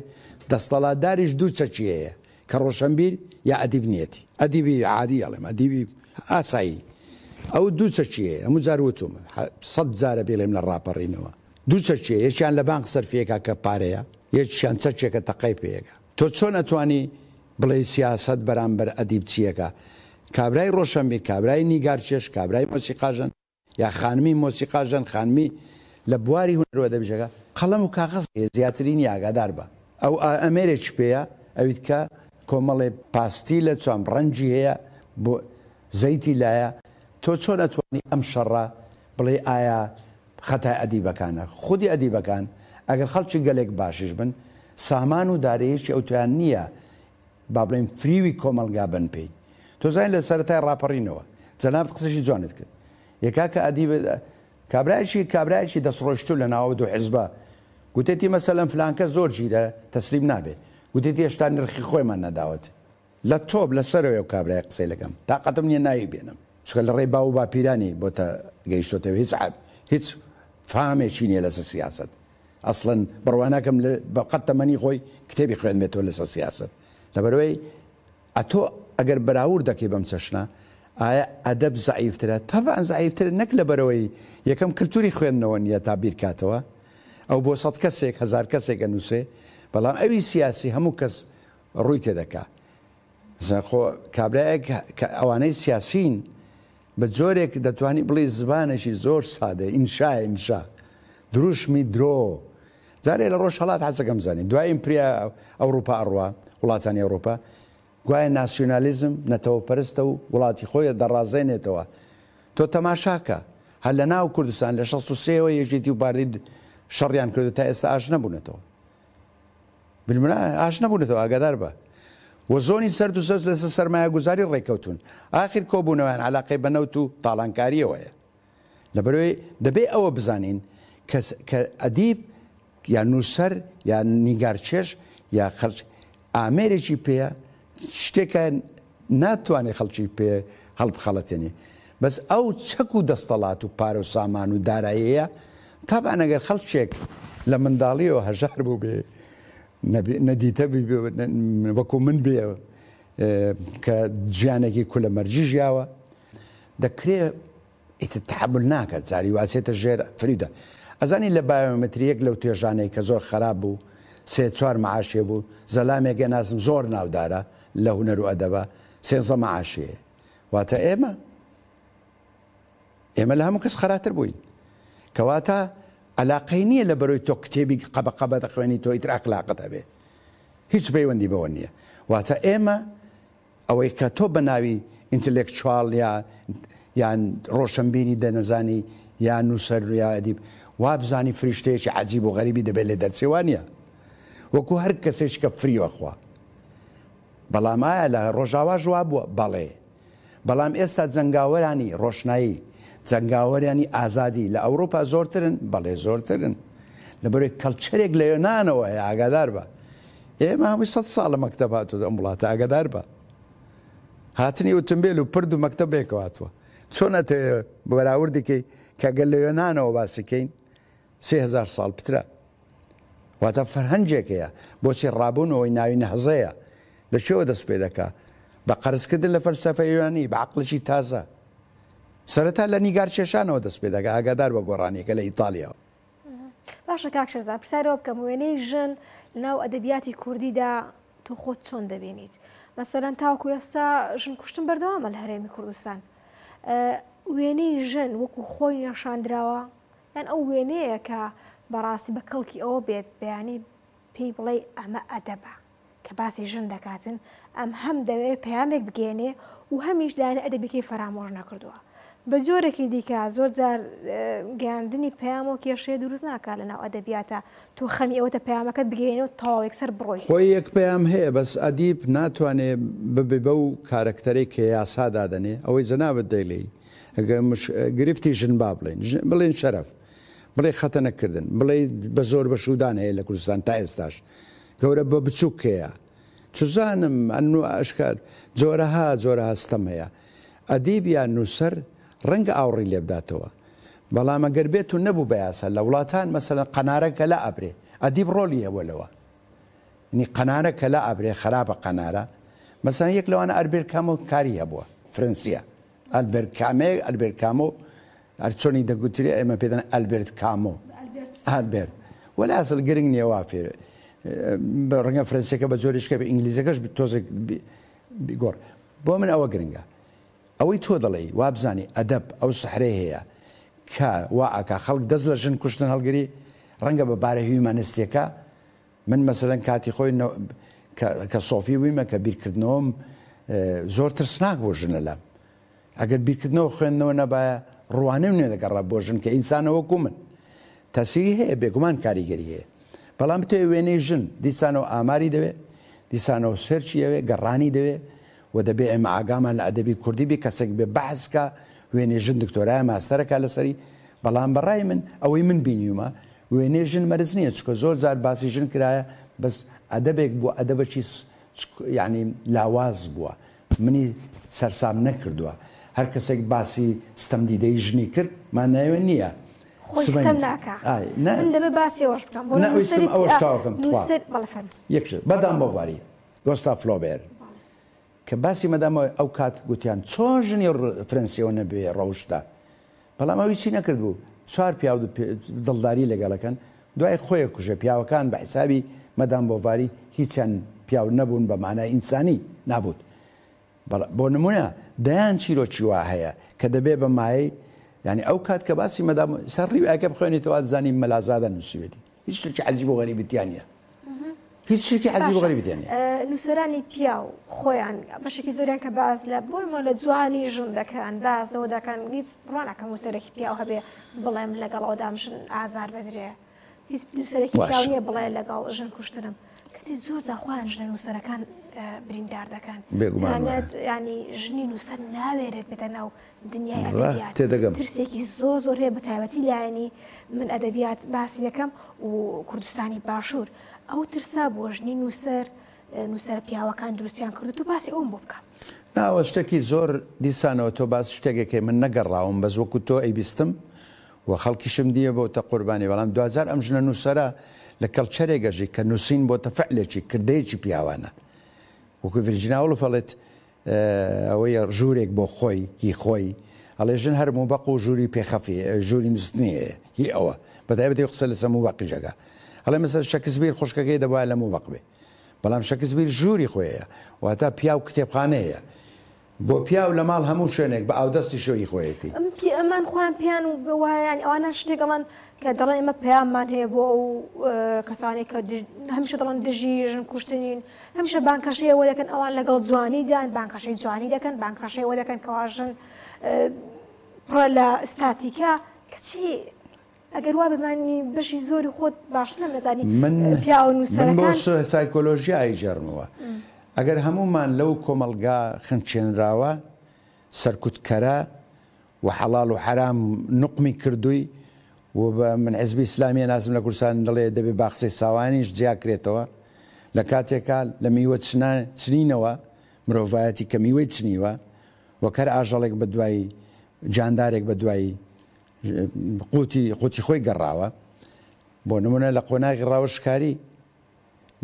دەستەڵاتداریش دوو چەکی هەیە کە ڕۆشەنبیر یا ئەدیب نیەتی ئەدیبی عادی ئەڵێم ئەدیبی ئاسایی ئەو دوو چەکی هەیە هەموو جار وتومە سەد جارە بیڵێم لە ڕاپەڕینەوە دوو چەکی هەیە یەکیان لە بانق سەرفیەکا کە پارەیە یەکیان چەکێکە تەقەی پێیەکا تۆ چۆن ئەتوانی بڵێی سیاسەت بەرامبەر ئەدیب چیەکا کابرای ڕۆشەنبیر کابرای نیگارکێش کابرای مۆسیقاژەن یا خانمی مۆسیقاژەن خانمی لە بواری هونەر و ئەدەبیشەکە قەڵەم و کاغەز هەیە زیاتری نیە ئاگادار بە ئەو ئامێرێکی پێیە ئەویت کە کۆمەڵێ پاستیلە چۆن ڕەنگی هەیە بۆ زەیتی لایە تۆ چۆن ئەتوانی ئەم شەڕە بڵێی ئایا خەتای ئەدیبەکانە، خودی ئەدیبەکان ئەگەر خەڵکی گەلێک باشیش بن سامان و دارەیەکی ئەوتویان نییە با بڵێن فریوی کۆمەڵگا بن پێی. تۆ زانین لە سەرەتای ڕاپەڕینەوە جەنابت قسەشی جوانت کرد، یەکا کە ئەدیب کابرایەکی کابرایەکی دەستڕۆیشتوو لە ناوە دوو حیزبە گوتێتی مەسەلەن فلانکە زۆر ژیرە تەسلیم نابێ، گوتێتی هێشتا نرخی خۆیمان نەداوەت. لە تۆپ لەسەرەوەی ئەو کابرای قسەی لەگەم تاقەتم نییە ناوی بێنم، چونکە لە ڕێی باو و باپیرانی بۆتە گەیشتۆتەوە، هیچ هیچ فامێکی نییە لەسەر سیاسەت، ئەسڵەن بڕوا ناکەم بە قەت تەمەنی خۆی کتێبی خوێندبێتەوە لەسەر سیاسەت. لەبەرەوەی ئەتۆ ئەگەر بەراورد دەکەی بەم چەشنە ئایا ئەدەب زەعیفترە؟ تەبعەن زەعیفترە، نەک لەبەرەوەی یەکەم کلتوری خوێندنەوە نییە تا بیرکاتەوە، ئەو بۆ سەد کەسێک هەزار کەسێک ئەنووسێ، بەڵام ئەوی سیاسی هەموو کەس ڕووی تێدەکا. خۆ کابرایەک کە ئەوانەی سیاسین بە جۆرێک دەتوانی بڵێ زبانێکی زۆر سادە، ئینشا ئینشا دروشمی درۆ. جارێ لە ڕۆژهەڵات حەزەکەم زانین دوای ئیمپریا ئەوروپا ئەڕوا وڵاتانی ئەوروپا گوایە ناسیۆنالیزم نەتەوەپەرستە و وڵاتی خۆی دەڕازێنێتەوە. تۆ تەماشاکە هەر لە ناو کوردستان لە شەست و سێوە یەکێتی و پارتی شەڕیان کردو تا ئێستا ئاش نەبوونەتەوە، بالمنا ئاش نەبوونەتەوە، ئاگادار بە. و زۆنی سەرد و سەز لەسەر سەرمایەگوزاری ڕێککەوتون، ئاخر کۆبوونەوەیان علاقەی بە نەوت و تاڵانکاریەوەیە. لەبەرەوەی دەبێ ئەوە بزانین کە ئەدیب یا نووسەر یا نیگارچێژ یا خەڵک ئامێرێکی پێیە شتێکە ناتوانێت خەڵکی پێ هەڵبخەڵەتێنێ، بەس ئەو چەک و دەستەڵات و پارە و سامان و داراییە تابعەن ئەگەر خەڵکێک لە منداڵیەوە هەژار بوو بێ نەدیتە وەکو من بێ کە ژیانێکی کولەمەرجی ژیاوە، دەکرێ ئیتر تەحەمول ناکات، جاری واسێتە ژێر فریودە. ئەزانی لە بایۆمەتری یەک لەو توێژانەی کە زۆر خراپ بوو سێ چوار معاشێ بوو، زەلامێک ناسم زۆر ناودارە لە هونەر و ئەدەبە سێنزە معاشێ. واتە ئێمە ئێمە لە هەموو کەس خراپتر بووین. کەواتە علاقەی نییە لە بەرەوەی تۆ کتێبی قەبە قەبە دەخوێنی تۆ ئیتر ئەخلاقت هەبێ، هیچ پەیوەندی بەوە نییە. واتە ئێمە ئەوەی کە تۆ بە ناوی ئینتەلێکچوال یا یان ڕۆشنبیری دەنەزانی یا نووسەر یا ئەدیب وابزانی فریشتەیەکی عەجیب و غەریبی دەبێت لێ دەرچێ، وانییە. وەکو هەر کەسێک کە فریوە خوا. بەڵام ئایا لە ڕۆژاواش وا بووە؟ بەڵێ. بەڵام ئێستا جەنگاوەرانی ڕۆشنایی، جەنگاوەرانی ئازادی لە ئەوروپا زۆرترن؟ بەڵێ زۆرترن. لەبەرەوەی کەلچەرێک لە یۆنانەوە هەیە، ئاگادار بە. ئێمە هەمووی سەد ساڵە مەکتەب هاتووە ئەم وڵاتە، ئاگادار بە. هاتنی ئۆتۆمبیل و پرد و مەکتەب بێکەوە هاتووە. چۆن ئەتەوێ بەراوردێکی کە گەل لە یۆنانەوە باسیکەین سێ هەزار ساڵ پترە. واتە فەرهەنگێک هەیە بۆچی ڕابوونەوەی ناوی نەهزەیە لە کوێوە دەست پێ دەکا؟ بە قەرزکردن لە فەلسەفەی یۆنانی بە عەقڵێکی تازە. سەرەتا لە نیگارکێشانەوە دەست پێ دەکا، ئاگادار بە گۆڕانیەکە لە ئیتالیاوە. باشە کاک شێرزاد، پرسیارەوە بکەم، وێنەی ژن لەناو ئەدەبیاتی کوردیدا تۆ خۆت چۆن دەبینیت؟ مەسەلەن تاوەکو ئێستا ژن کوشتن بەردەوامە لە هەرێمی کوردستان، وێنەی ژن وەکو خۆی نیشاندراوە یان ئەو وێنەیە کە بەڕاستی بە کەڵکی ئەوە بێت بەیانی پێی بڵێ ئەمە ئەدەبە کە باسی ژن دەکاتن، ئەم هەم دەوێت پەیامێک بگەێنێ و هەمیش لایەنە ئەدەبیەکەی فەرامۆش نەکردووە. بە جۆرێکی دیکە زۆر جار گەیاندنی پەیام و کێشەیە دروست ناکات لەناو ئەدەبیاتە، تۆ خەمی ئەوەتە پەیامەکەت بگەێنێ و تەواو یەکسەر بڕۆی. خۆی یەک پەیام هەیە، بەس ئەدیب ناتوانێ ببێ بەو کارەکتەرەی کە یاسا دادەنێ. ئەوەی جەنابت دەیڵێی ئەگەر گرفتی ژن با بڵێن، بڵێن شەرەف، بڵێ خەتەنەکردن، بڵێ بە زۆر بە شوودان هەیە لە کوردستان تا ئێستاش، گەورە بە بچووک هەیە، چزانم ئەنو ئەشکار جۆرەها جۆرەها ستەم هەیە. ئەدیب یان نووسەر ڕەنگە ئاوڕی لێ بداتەوە، بەڵام ئەگەر بێت و نەبوو بە یاسا لە وڵاتان مەسەلەن قەنارە کە لا ئەبرێ، ئەدیب ڕۆڵی هەبووە لەوە، یعنی قەنارە کە لا ئەبرێ خراپە قەنارە. مەسەلەن یەک لەوانە ئەلبێرت کامۆ کاری هەبووە، فرەنسیە، ئەلبێرت کامێ، ئەلبێرت کامۆ هەر چۆنی دەگوترێ ئێمە پێدەن ئەلبێرت کامۆ، ئەلبێرت وەلا ئەسڵ گرنگ نییە وا فێر ڕەنگە فرەنسیەکە بە جۆریشکە بە ئینگلیزەکەش تۆزێک بیگۆڕ. بۆ من ئەوە گرنگە. ئەوەی تۆ دەڵێی وابزانی ئەدەب ئەو سەحرەی هەیە کە وا ئاکا خەڵک دەست لە ژن کوشتن هەڵگری، ڕەنگە بە بارە هیومانستیەکە. من مەسەلەن کاتی خۆی کە سۆفی بوویمە کە بیرکردنەوەم زۆر ترسناک بۆ ژنە لام، ئەگەر بیرکردنەوە خوێندنەوە نەبایە ڕوانم نوێ دەگەڕا بۆ ژن کە ئینسانە وەکو من. تەسیری هەیە، بێگومان کاریگەری هەیە، بەڵام بتەوێ وێنەی ژن دیسانەوە ئاماری دەوێ، دیسانەوە search ی ئەوێ، گەڕانی دەوێ و دەبێ ئێمە ئاگامان لە ئەدەبی کوردی بێ، کەسێک بێ بەحسکە وێنەی ژن دکتۆرایە ماستەرەکە لەسەری. بەڵام بەڕای من ئەوەی من بینیومە وێنەی ژن مەرز نییە، چونکە زۆر جار باسی ژن کرایە بەس ئەدەبێک بووە، ئەدەبەکی یعنی لاواز بووە، منی سەرسام نەکردووە. هەر کەسێک باسی ستەمدیدەی ژنی کرد مانایەوە نییە خۆی ستەم ناکا. من دەبێ باسی ئەوەش بکەم. نا ویستم ئەوەش تاوەکەم تخوا. یەک شت مەدام بۆڤاری گۆستا فلۆبێر کە باسی مەدام ئەو کات گوتیان چۆن ژنی فرەنسیەوە نەبێ ڕەوشدا، بەڵام ئەوی چی نەکرد بوو، چوار پیاو دڵداری لەگەڵەکەن، دوای خۆیە کوژە. پیاوەکان بە حیسابی مەدام بۆڤاری هیچیان پیاو نەبوون بە مانای ئینسانی نابوت. بۆ نمونە دەیان چیرۆکی وا هەیە کە دەبێ بە مایەی یعنی ئەو کات کە باسی مەدام سەر ڕیوایەکە بخوێنیتەوە دەزانی مەلازادە نووسیوێتی، هیچ شتێکی عەجیب و غەریبی تیا نییە، هیچ شتێکی عەجیب و غەریبی تیا نییە. نووسەرانی پیاو خۆیان بەشێکی زۆریان کە باز لە بۆ لە جوانی ژن دەکەن، باز لەوە دەکەن، هیچ بڕوا ناکەم نووسەرێکی پیاو هەبێ بڵێم لەگەڵ ئەودام ژن ئازار بدرێ، هیچ نووسەرێکی پیاو نییە بڵێ لەگەڵ ژن کوشتنم. کەچی زۆر جار خۆیان ژنە نووسەرەکان بریندار دەکەن. ینی ژنی نووسەر ناوێرێت بێتە ناو دنیای ئەدەبیات، ترسێکی زۆر زۆر هەیە بە تایبەتی لایەنی من ئەدەبیات باسی دەکەم و کوردستانی باشوور. ئەو ترسا بۆ ژنی نووسەر نووسەرە پیاوەکان دروستیان کردو، تۆ باسی ئەوم بۆ بکە. ناوە شتێکی زۆر دیسانەوە تۆ باس شتێکێکی من نەگەڕاوم، بەس وەکو تۆ ئەیبیستم و خەڵکیشم دییە بۆتە قوربانی. بەڵام دوجار ئەم ژنە نووسەرە لە culture ێک ئەژی کە نووسین بۆتە فعلێکی کردەیەکی پیاوانە. وەکو ڤیرجینیا وڵف ئەڵێت ئەوەیە ژوورێک بۆ خۆی هی خۆی، ئەڵێ ژن هەر موبەق و ژووری پێخەفی ژووری نووسنی هەیە هی ئەوە، بەتایبەتی قسە لەسەر موبەقی جەگا. ئەڵێ مەسەر شەکسپیر خوشکەکەی دەبوایە لە موبەق بێ، بەڵام شەکسپیر ژووری خۆیە، واتە پیاو کتێبخانەیە بۆ پیاو لە ماڵ هەموو شوێنێک بە ئاودەستی شەوی خۆیەتی. ئەمان خۆیان پێیان وایە، ینی ئەوانە شتێک ئەڵەن کە دەڵێن ئێمە پەیاممان هەیە بۆ ئەو کەسانێک کە هەمیشە دەڵێن دژی ژن کوشتنین، هەمیشە بانکەشەی ئەوە دەکەن ئەوان لەگەڵ جوانیدان، بانکەشەی جوانی دەکەن، بانکەشەی ئەوە دەکەن کەوا ژن پڕە لە ئستاتیکا. کەچی ئەگەر وا بمانی بەشی زۆری خۆت باشتر نەزانی پیاو نووسەرەکان. من بۆ سایکۆلۆژیا ئەیژێڕمەوە. ئەگەر هەمومان لەو کۆمەلگا خنچێنراوە سەرکوتکەرە و حەڵال و حەرام نقمی کردووی و بە من حزبی ئیسلامیە ناسم لە کوردستان دەڵێ دەبێ باخچەی ساوانیش جیاکرێتەوە، لە کاتێکا لە میوە چنینەوە مرۆڤایەتی کە میوەی چنیوە وەک هەر ئاژەڵێک بە دوای جاندارێک بە دوای قوتی قوتی خۆی گەڕاوە. بۆ نمونە لە قۆناغی ڕاوشکاری،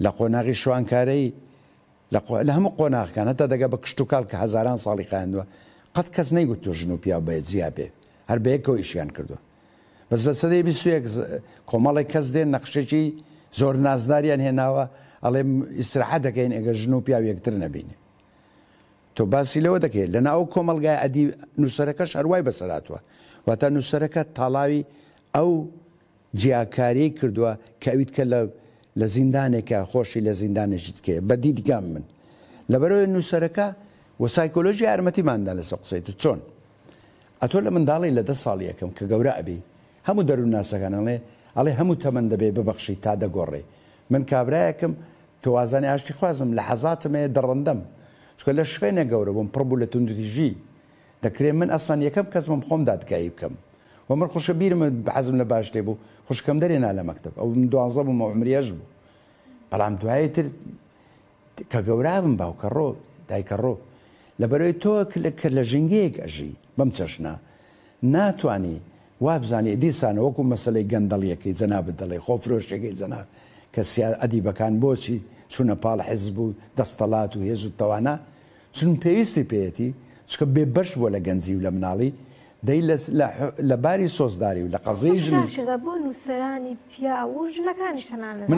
لە قۆناغی شوانکارەی، لە هەموو قۆناغەکان هەتا دەگە بە کشتتوکاڵ کە هەزاران ساڵی خایاندووە، قەت کەس نەیگوتووە ژن و پیاو بە جیا بێ، هەر بەیەکەوە ئیشیان کردووە. بەس لە سەدەی بیست و یەک کۆمەڵێک کەس دێن نەخشێکی زۆر نازداریان هێناوە، ئەڵێ ئیسراحەت دەکەین ئەگەر ژن و پیاو یەکتر نەبینێ. تۆ باسی لەوە دەکەیت لەنا ئەو کۆمەلگای ئەدی نووسەرەکەش هەروای بەسەراتوە، واتە نووسەرەکە تاڵاوی ئەو جیاکاریی کردووە کە ئەویت کە لە لە زیندانێکە خۆشی لە زیندانێکی تکەیە بە دیدگام من. لەبەرەوەی نووسەرەکە و سایکۆلۆژی یارمەتیماندا لەسەر قسەی تو چۆن ئەتۆ لە منداڵی لە دە ساڵ یەکەم کە گەورە ئەبی هەموو دەروونناسەکان ئەڵێ ئەڵێ هەموو تەمەن دەبێ ببەخشی تا دەگۆڕێ. من کابرایەکم تۆوازانی ئاشتی خوازم لە حەزاتم هەیە دەڕەندەم، چونکە لە شوێنێک گەورە بووم پڕ بوو لە توندوتیژی، دەکرێت من ئەسڵەن یەکەم کەس بم خۆم دادگایی بکەم. و من خوشە بیرم حەزم لە باش لێ بوو، خوشکەم دەرێنا لە مەکتەب، ئەو من دوازدە بووم ئەو عمری هەشت بوو. بەڵام دوایی تر کە گەورە بم باوکە ڕۆ دایکە ڕۆ، لەبەرەوەی تۆ کە لە ژینگەیەک ئەژی بەم چەشنە ناتوانی وابزانی دیسانە وەکو مەسلەی گەندەڵیەکەی جەنابت دەڵێ خۆفرۆشیەکەی جەناب کە ئەدیبەکان بۆچی چوونە پاڵ حزب و دەستەڵات و هێز و تەوانا، چون پێویستی پێیەتی، چونکە بێبەش بووە لە گەنجی و لە مناڵی، دەی لە باری سۆزداری و لە قەزیەی ژنی. بۆ نووسەرانی پیاو و ژنەکانیش تەنانەت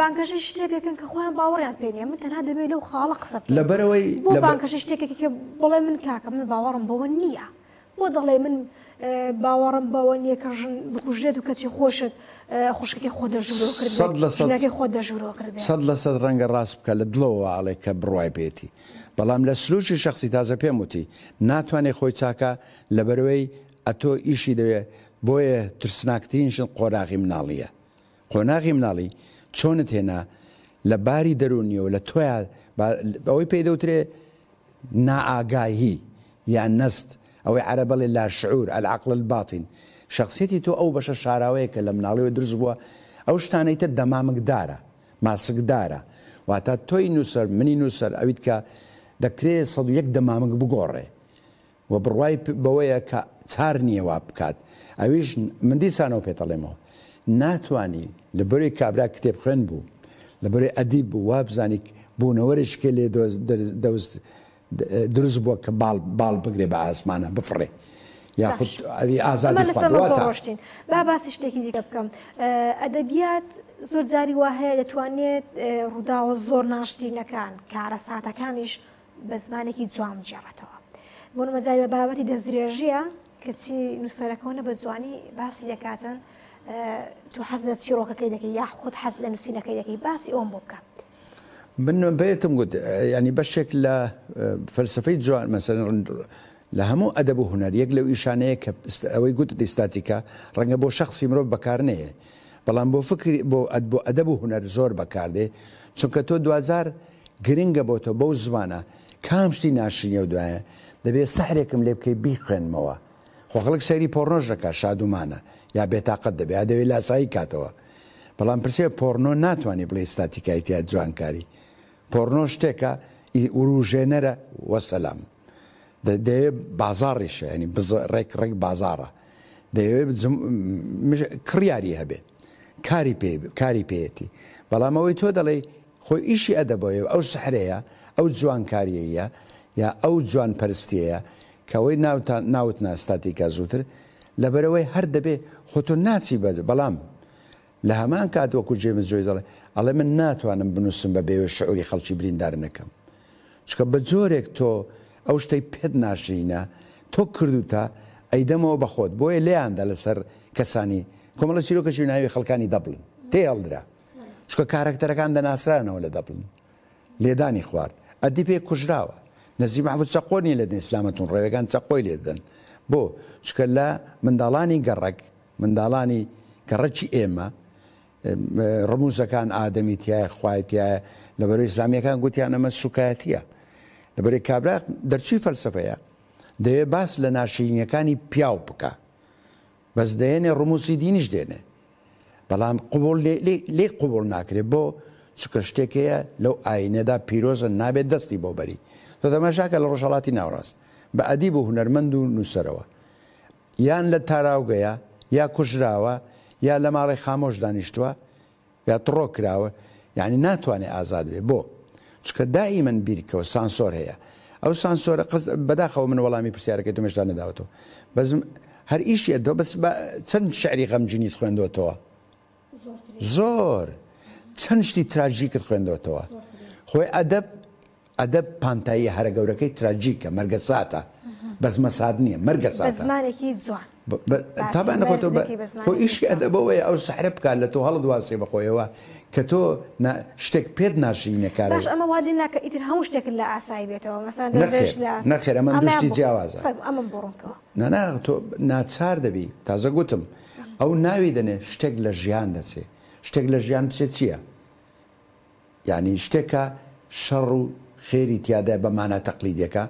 بانکەشەی شتێکەکەن کە خۆیان باوەڕیان پێ نییە. من تەنها دەبێت لەو خاڵە قسە بکەم. لەبەرەوەی بۆ بانکەشەی شتێکێکی کە بڵێ من کاکە من باوەڕم بەوە نییە، بۆ دەڵێ من باوەڕم بەوە نییە کە ژن بکوژێت و کەچی خۆشت خوشکەکەی خۆ دەژوورەوە کرد، ژنەکەی خۆ دەژوورەوە کرد. سەد لە سەد ڕەنگە ڕاست بکە لە دڵەوە ئاڵێ کە بڕوای پێێتی، بەڵام لە سروشی شخصی تازە پێم وتی ناتوانێت خۆی چاکە لەبەرەوەی ئەتۆ ئیشی دەوێ. بۆیە ترسناکترین شت قۆناغی مناڵیە. قۆناغی مناڵی چۆنت هێنا لە باری دەرونیەوە لە تۆیا ئەوەی پێی دەوترێ نائاگاهی یان نەست، ئەوەی عەرەبەڵێ لا شعور، العقل الباطن. شخصیەتی تۆ ئەو بەشە شاراوەیە کە لە مناڵیەوە دروست بووە، ئەو شتانەی تر دەمامکدارە، ماسکدارە. واتە تۆی نووسەر، منی نووسەر، ئەویت کە دەکرێت سەد و یەک دەمامک بگۆڕێ و بڕوای بەوەیە کە چار نییە وا بکات. ئەویش من دیسانەوە پێتەڵێمەوە ناتوانی لە بەرەی کابرا کتێب خوێن بوو، لە بەرەی ئەدیب بوو، وا بزانی بوونەوەرێکی لێ دەوست دروست بووە کە باڵ بگرێ بە ئاسمانە بفڕێ یاخود ئەوی ئازادی ڕۆشتین. با باسی شتێکی دیکە بکەم. ئەدەبیات زۆر جاری وا هەیە دەتوانێت ڕووداوە زۆر ناشرینەکان، کارەساتەکانیش بە زمانێکی جوان بگێڕێتەوە. بۆ نموونە جاری بە بابەتی دەستدرێژیە کەچی نووسەرەکەونە بە جوانی باسی دەکاتن، تۆ حەز لە چیرۆکەکەی دەکەی یا خۆت حەز لە نووسینەکەی دەکەی، باسی ئەوم بۆ بکە. من بێتم گوت ینی بەشێک لە فەلسفەی جوان مەسەلەن لە هەموو ئەدەب و هونەر یەک لەو ئیشانەیە کە ئەوەی گوتت ئیستاتیکا ڕەنگە بۆ شخصی مرۆڤ بەکار نەیە، بەڵام بۆ فکری بۆ بۆ ئەدەب و هونەر زۆر بەکاردێ، چونکە تۆ دوجار گرنگە بۆ تۆ بەو زمانە کام شتی ناشرینە و دوایە دەبێت سەحرێکم لێ بکەی بیخوێنمەوە. خۆ خەڵک سەیری پۆرنۆش دەکات شادومانە یا بێتاقەت دەبێ یا دەوێت لاسایی کاتەوە، بەڵام پرسێ پۆرنۆ ناتوانانی بڵێ ئیستاتیکای تیا جوانکاری. پۆرنۆ شتێکە وروژێنەرە وەسەلام، دەیەوێت بازاڕیشە، ینی ڕێک ڕێک بازاڕە، دەیەوێت کڕیاری هەبێ، کاری پێ کاری پێیەتی. بەڵام ئەوەی تۆ دەڵێی خۆی ئیشی ئەدەبەوەیە، ئەو سەحرەیە، ئەو جوانکاریەیە یا ئەو جوان پەرستیەیە کە ئەوەی ناوت ناستاتیکا زووتر، لەبەرەوەی هەر دەبێ خۆ تۆ ناچی بەج. بەڵام لە هەمان کات وەکو جێمز جۆیس دەڵێ، ئەڵێ من ناتوانم بنووسم بە بێوێ شعوری خەڵکی بریندار نەکەم، چونکە بە جۆرێک تۆ ئەو شتەی پێت ناشرینە تۆ کردوتە ئەیدەمەوە بە خۆت. بۆیە لێیاندا لەسەر کەسانی کۆمەڵە چیرۆکەشی ناوی خەڵکانی دەبڵن تێهەڵدرا، چونکە کارەکتەرەکان دەناسرانەوە لە دەبڵن. لێدانی خوارد، ئەدی پێ کوژراوە، نەزی مەحموود چەقۆ نییە لە ئیسلامەتون ڕێوەکان چەقۆی لێدەن. بۆ چونکە لە منداڵانی گەڕەک، منداڵانی گەڕەکی ئێمە ڕموزەکان ئادەمی تایە، خوای تایە، لەبەرەوەی ئیسلامیەکان گوتیان ئەمە سوکایەتیە. لەبەرەی کابرا دەرچووی فەلسەفەیە، دەیە باس لە ناشرینیەکانی پیاو بکە، بەس دەیەنێ ڕموزی دینیش دێنێ، بەڵام قبول لێ قبول ناکرێت. بۆ چونکە شتێکەیە لەو ئاینەدا پیرۆزە نابێت دەستی بۆ بەری. تۆ تەماشاکە لە ڕۆژهەڵاتی ناوەڕاست بە ئەدیب و هونەرمەند و نووسەرەوە، یان لە تاراوگەیە یا کوژراوە یا لە ماڵی خامۆش دانیشتووە یا تڕۆ کراوە، یعنی ناتوانێت ئازاد بێ. بۆ چونکە دائیمەن بیرکەوە سانسۆر هەیە. ئەو سانسۆرە بەداخەوە من وەڵامی پرسیارەکەی تۆ مێشتا نەداوەتەوە، بەس هەر ئیشی ئەدەوە، بەس چەند شعری غەمگینیت خوێندوەتەوە؟ زۆر. چەند شتی تراژیکت خوێندوەتەوە؟ خۆی ئەدەب ئەدەب پانتایی هەرە گەورەکەی تراژیکە، مەرگەساتە، بەس مەساد نییە، مەرگەساتە. بە زمانێکی جوان. تابان خۆ خۆ ئیشی ئەدەبەوەیە ئەو سەحرە بکات لە تۆ هەڵدواسێ بەخۆیەوە کە تۆ شتێک پێت ناشرینە کارە. باش ئەمە وا لێ ناکە ئیتر هەموو شتێکت لە ئاسایی بێتەوە، مەسەلەن دەستدرێژ لە ئاسایی. نەخێر ئەمە دوو شتی جیاوازە. ئەمەم بۆ ڕوونکەوە. نا نا تۆ ناچار دەبی. تازە گوتم ئەو ناوی دەنێ شتێک لە ژیان دەچێ. شتێک لە ژیان بچێت چییە؟ یعنی شتێکە شەڕ و خێری تیادا بە مانا تەقلیدیەکە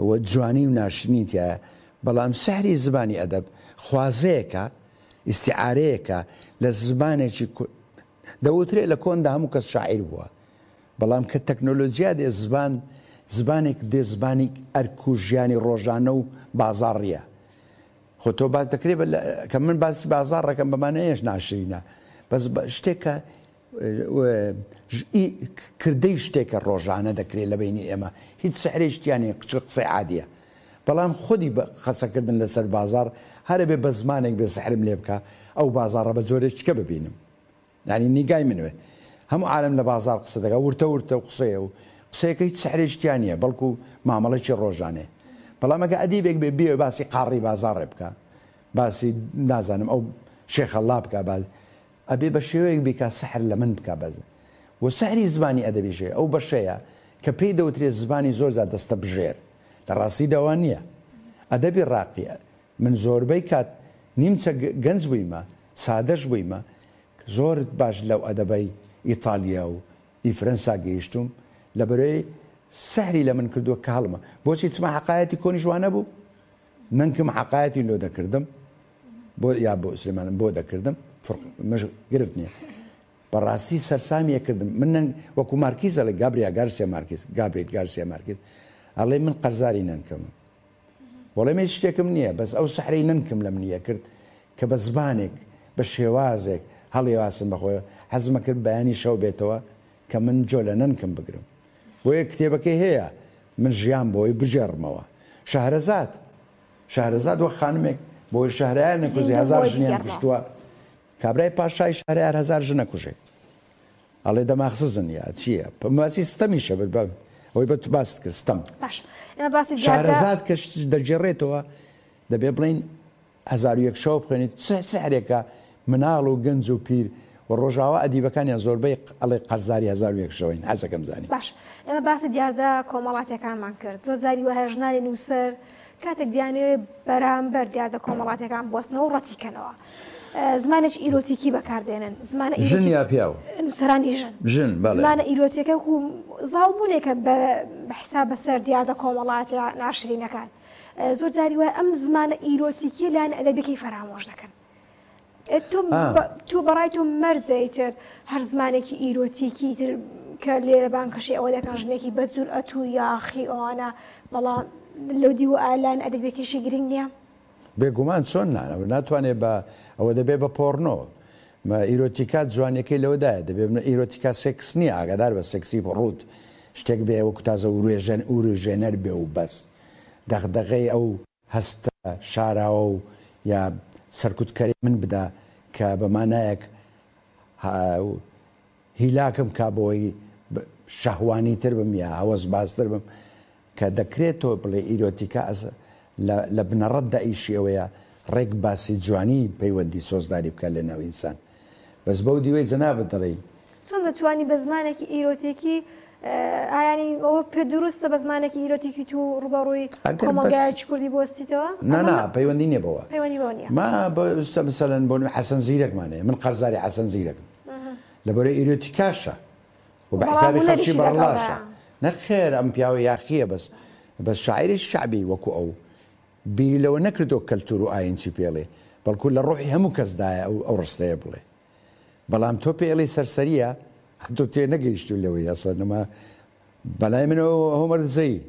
و جوانی و ناشرینی تایە، بەڵام سەحری زمانی ئەدەب خوازەیەکە، ئیستیعارەیەکە لە زمانێکی دەوترێ لە کۆندا هەموو کەس شاعیر بووە، بەڵام کە تەکنۆلۆژیا دێ زبان زبانێک دێ زبانی ئەرک و ژیانی ڕۆژانە و بازاڕیە. خۆ تۆ باس دەکرێت کە من باسی بازاڕەکەم بەمانەیەش ناشرینە، بەس شتێکە کردەی شتێکە ڕۆژانە دەکرێت لە بینی ئێمە، هیچ سەحرێشتیانێ قچ قسەی عادیە، بەڵام خودی قسەکردن لەسەر بازار هەرە بێ بە زمانێک بێ سەحرم لێ بکە ئەو بازاڕە بە جۆرێکیکە ببینم. یعنی نیگای منوێ هەموو عالم لە بازار قسە دەکا، ورتە ورتە و قسەیە و قسەیەکە هیچ سەحرێشتیان نییە، بەڵکو مامەڵێکی ڕۆژانەیە. بەڵام ئەگە ئەدیبێک بێ بێ باسی قاڕی بازاڕێ بکە، باسی نازانم ئەو شێخەڵا بکە، ئەبێ بە شێوەیەک بیکا سەحر لە من بکە بەز. و سەحری زمانی ئەدەبیژێ ئەو بەشەیە کە پێی دەوترێت زمانی زۆر زیاد دەستە بژێر، لە ڕاستی داوا نییە. ئەدەبی ڕاقی من زۆربەی کات نیمچە گەنج بوویمە سادەش بوویمە زۆر باش لەو ئەدەبەی ئیتالیا و ئی فرەنسا گەیشتوم لەبەرەی سەحری لە من کردووە کە هەڵمە بۆچی چما حەقایەتی کۆنیش وانە بوو نەنکم حەقایەتی لۆ دەکردم بۆ یا بۆ سلێمانم بۆ دەکردم مش گرفت نییە بەڕاستی سەرسامیە کردم من وەکو مارکیز ئەڵێ گابریا گارسیا مارکیز گابریل گارسیا مارکیز ئەڵێ من قەرزاری نەنکم وەڵێ من هیچ شتێکم نییە بەس ئەو سەحرەی نەنکم لە منیە کرد کە بە زبانێک بە شێوازێک هەڵیواسم بەخۆی حەزمە کرد بەیانی شەو بێتەوە کە من جۆ لە نەنکم بگرم بۆیە کتێبەکەی هەیە من ژیان بۆی بگێڕمەوە شەهرەزاد شەهرەزاد وەک خانمێک بۆی شەهرەیان نەکوژێ هەزار ژنیان کوشتووە کابرای پاشای شەهرەیار هەزار ژنە کوژێ ئەڵێ دەماخسزن یا چییە باسی ستەمیشە ئەوەی بە باست کرد ستەم باش ئێمە باسی شەهرەزاد کە دەگێڕێتەوە دەبێ بڵێین هەزار و یەک شەو بخوێنیت چ سحرێکە مناڵ و گەنج و پیر و ڕۆژاوا ئەدیبەکانیان زۆربەی ئەڵێ قەرزاری هەزار و یەک شەوەین حەزەکەم زانی. باش ئێمە باسی دیاردە کۆمەڵاتیەکانمان کرد زۆر جاری وایە ژنانی نووسەر کاتێک دیانەوێ بەرامبەر دیاردە کۆمەڵاتیەکان بوەستنەوە و ڕەتیکەنەوە زمانێکی ئیرۆتیکی بەکاردێنن زمانە ژن یا پیاو نووسەرانی ژن ژن بەڵێ زمانە ئیرۆتیەکە و زاڵبوونێکە بە حساب بەسەر دیاردە کۆمەڵاتیە ناشرینەکان زۆر جاری وایە ئەم زمانە ئیرۆتیکیە لایەن ئەدەبیەکەی فەرامۆش دەکەن تۆ بەڕای تۆ مەرجە ئیتر هەر زمانێکی ئیرۆتیکی ئیتر کە لێرە بانکەشی ئەوە دەکەن ژنێکی بە جورئەت و یاخی ئەوانە بەڵام لەو دیوە لایەن ئەدەبیەکەیشی گرنگ نییە؟ بێگومان چۆن ناتوانێت بە ئەوە دەبێ بە پۆرنۆ ئیرۆتیکا جوانیەکەی لەوەدایە دەبێ ئیرۆتیکا سێکس نییە ئاگادار بە سێکسی ڕووت شتێک بێ وەکو تازە وروژێنەر بێ و بەس دەغدەغەی ئەو هەستە شاراوە و یا سەرکوتکەری من بدا کە بە مانایەک هیلاکم کا بۆی شەهوانی تر بم یا هەوەسبازتر بم کە دەکرێت تۆ بڵێ ئیرۆتیکا لە بنەڕەتدا ئیشی ئەوەیە ڕێک باسی جوانی پەیوەندی سۆزداری بکە لە ناو ئینسان بەس بەو دیوەی جەنابت دەڵێی چۆن دەتوانی بە زمانێکی ئیرۆتیکی ئایانی ئەوە پێ دروستە بە زمانێکی ئیرۆتیکی تو ڕوبەڕووی کۆمەڵگایەکی کوردی بوەستیتەوە؟ نا نا پەیوەندی نییە بەوە پەیوەندی بەوە نییە ما مەسەلەن بۆ حەسەن زیرەکمان هەیە من قەرزاری حەسەن زیرەکم لەبەرەی ئیرۆتیکاشە و بە حسابی خەڵکی بەڕەڵاشە نەخێر ئەم پیاوە یاخییە بەس بەس شاعیرێکی شەعبی وەکو ئەو بیری لەوە نەکردەوە کەلتور و ئاین چی پێڵێ بەڵکو لە ڕۆحی هەموو کەسدایە ئەو ئەو ڕستەیە بڵێ بەڵام تۆ پێڵێ سەرسەریە تۆ تێ نەگەیشتو لەوەی ئەسڵەن ئەمە بەلای منەوە هۆمەر دزەیی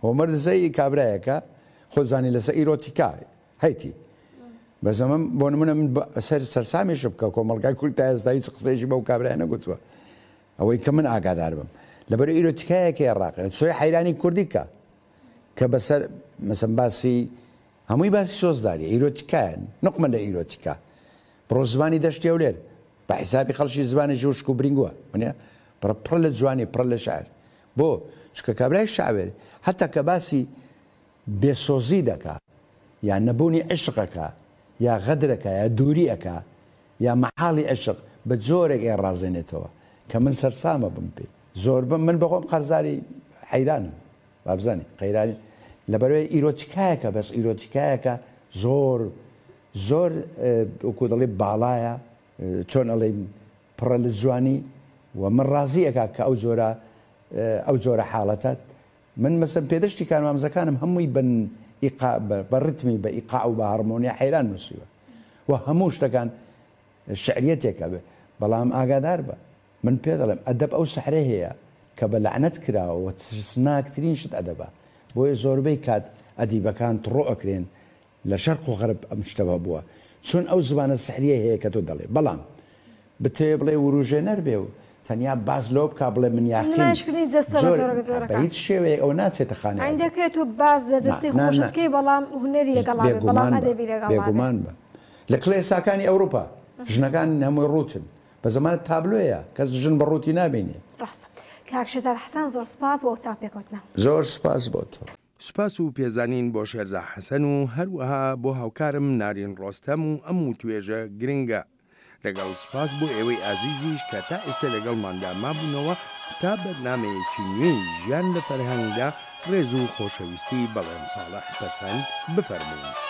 هۆمەر دزەیی کابرایەکە خۆ زانی لەسەر ئیرۆتیکا هەیتی بەس ئەمە بۆ نمونە من سەر سەرسامیش بکە کۆمەڵگای کورد تا ئێستا هیچ قسەیەکی بەو کابرایە نەگوتووە ئەوەی کە من ئاگادار بم لەبەر ئیرۆتیکایەکی عێراقی سۆی حەیرانی کوردی کە کە بەسەر مەسەن باسی هەمووی باسی سۆزداری ئیرۆتیکایە نقمە لە ئیرۆتیکا بڕۆ زمانی دەشتی هەولێر بە حیسابی خەڵکی زمانێکی وشک و برینگووە ونیە پڕ پڕ لە جوانی پڕ لە شعر بۆ چونکە کابرای شاعر حتا کە باسی بێسۆزی دەکا یا نەبوونی عشقەکە یا غەدرەکە یا دووری ئەکا یا مەحاڵی عشق بە جۆرێک ئێڕازێنێتەوە کە من سەرسامە بم پێی زۆربەم من بەخۆم قەرزاری حەیرانم وابزانی قەیرانی لەبەرەوەی ئیرۆتیکایەکە بەس ئیرۆتیکایەکە زۆر زۆر وەکو دەڵێ باڵایە چۆن ئەڵێ پڕە لە جوانی و من ڕازی ئەکا کە ئەو جۆرە ئەو جۆرە حاڵەتە من مەسەن پێدەشتی کارمامزەکانم هەمووی بن ئیقا بە ڕتمی بە ئیقاع و بە هارمۆنیا حەیران نووسیوە و هەموو شتەکان شعریەتێکە بێ بەڵام ئاگادار بە من پێ دەڵێم ئەدەب ئەو سەحرە هەیە کە بە لەعنەت کراوە و ترسناکترین شت ئەدەبە بۆیە زۆربەی کات ئەدیبەکان تڕۆ ئەکرێن لە شەرق و غەرب ئەم شتە بووە چون ئەو زمانە سحریە هەیە کە تۆ دەڵێ بەڵام بتەوێ بڵێ وروژێنەر بێ و تەنیا باس لەوە بکا بڵێ من یاخیم نمایشکردنی جەستە بە زۆر زۆرە بە بە زۆرەکان هیچ شێوەیەک ئەوە ناچێتە خانەی ئەین ئەدەب دەکرێت تۆ باس لە نا جەستەی نا خۆشت نا بکەی بەڵام هونەری لەگەڵا بێ بەڵام بێگومان بە ئەدەبی لەگەڵا بێ بێگومان بە لە کڵێساکانی ئەوروپا ژنەکان هەمووی ڕووتن بە زەمانە تابلۆیە کەس ژن بە ڕووتی نابینێ. ڕاستە کاک شێرزاد حەسەن زۆر سوپاس بۆ ئەو چاوپێکەوتنە. زۆر سوپاس بۆ تۆ. سوپاس و پێزانین بۆ شێرزا حەسەن و هەروەها بۆ هاوکارم نارین ڕۆستەم و ئەم وتوێژە گرنگە. لەگەڵ سوپاس بۆ ئێوەی ئازیزیش کە تا ئێستا لەگەڵماندا مابوونەوە تا بەرنامەیەکی نوێی ژیان لە فەرهەنگدا ڕێز و خۆشەویستی بەڵێن ساڵح پەسەند بفەرموون.